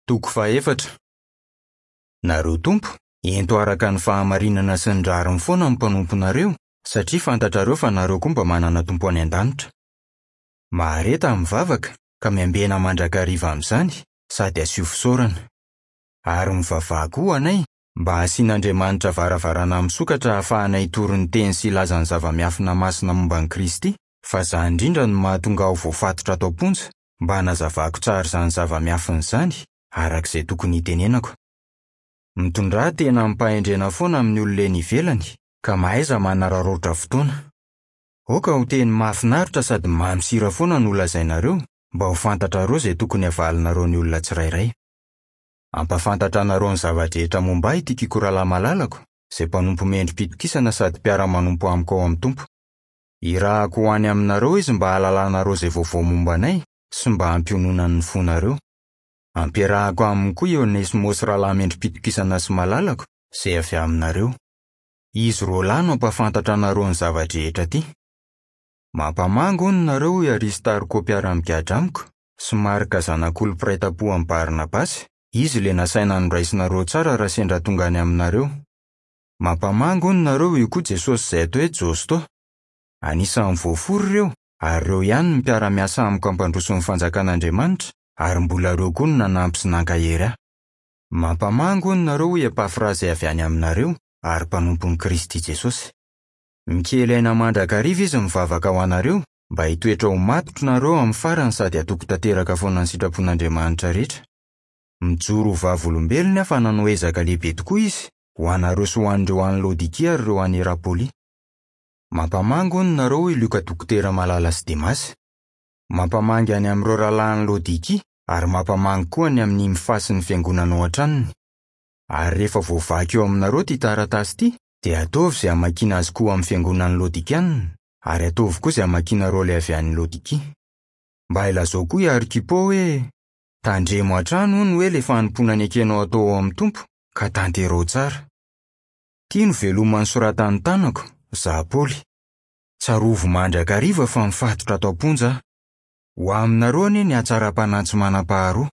Toko fahefatra. Nareo Tompo, ento araka ny fahamarinana sy ny rariny foana ny mpanomponareo, satria fantatrareo fa nareo koa mba manana Tompo any an-danitra. Mahareta amin'ny vavaka, ka miambena mandrakariva amin'izany, sady asio fisaorana. Ary mivavaha koa ho anay, mba hasian'Andriamanitra varavarana misokatra hahafahanay hitory ny teny sy hilaza ny zava-miafina masina momba an'i Kristy, fa izany indrindra no mahatonga aho voafatotra ato am-ponja, mba hanazavako tsara izany zava-miafina izany, araka izay tokony hitenenako. Mitondrà tena amim-pahendrena foana amin'ny olona eny ivelany, ka mahaiza manararaotra fotoana. Aoka ho teny mahafinaritra sady mamy sira foana no holazainareo, mba ho fantatrareo izay tokony havalinareo ny olona tsirairay. Hampahafantatra anareo ny zava-drehetra momba ahy i Tykiko rahalahy malalako, izay mpanompo mendri-pitokisana sady mpiara-manompo amiko ao amin'ny Tompo. Hirahako ho any aminareo izy mba hahalalanareo izay vaovao momba anay sy mba hampiononany ny fonareo. Ampiarahako aminy koa i Onesimosy rahalahy mendri-pitokisana sy malalako, izay avy aminareo. Izy roalahy no hampahafantatra anareo ny zava-drehetra aty. Mampamangy hono nareo hoy Aristarko mpiara-migadra amiko, sy Marka zanak'olo-mpiray tampo amin'i Barnabasy, izy ilay nasaina noraisinareo tsara raha sendra tonga any aminareo. Mampamangy hono nareo io koa Jesosy izay atao hoe Josto. Anisan'ny voafory ireo ary ireo ihany no mpiara-miasa amiko hampandroso ny fanjakan'Andriamanitra ary mbola ireo koa no nanampy sy nankahery ahy. Mampamangy hono nareo hoy Epafra izay avy any aminareo ary mpanompon'i Kristy Jesosy. Mikely aina mandrakariva izy mivavaka ho anareo mba hitoetra ho matotra nareo amin'ny farany sady hatoky tanteraka foana ny sitrapon'Andriamanitra rehetra. Mijoro ho vavolombelony aho fa nanao ezaka lehibe tokoa izy, ho anareo sy ho an'ireo any Laodikia ary ireo any Hierapolia. Mampamangy hono nareo hoy Lioka dokotera malala sy Demasy. Mampamangy any amin'ireo rahalahy any Laodikia ary mampamangy koa any amin'i Nymfa sy ny fiangonana ao an-tranony. Ary rehefa voavaky eo aminareo ity taratasy ity, dia ataovy izay hamakiana azy koa amin'ny fiangonan'ny Laodikiana, ary ataovy koa izay hamakianareo ilay avy any Laodikia. Mba ilazao koa i Arkipo hoe, Tandremo hatrany hono hoe ilay fanompoana nekenao atao ao amin'ny Tompo, ka tanterao tsara. Ity no veloma nosoratan'ny tanako, izaho Paoly. Tsarovy mandrakariva fa mifatotra ato am-ponja aho. Ho aminareo anie ny hatsaram-panahy tsy manam-paharoa.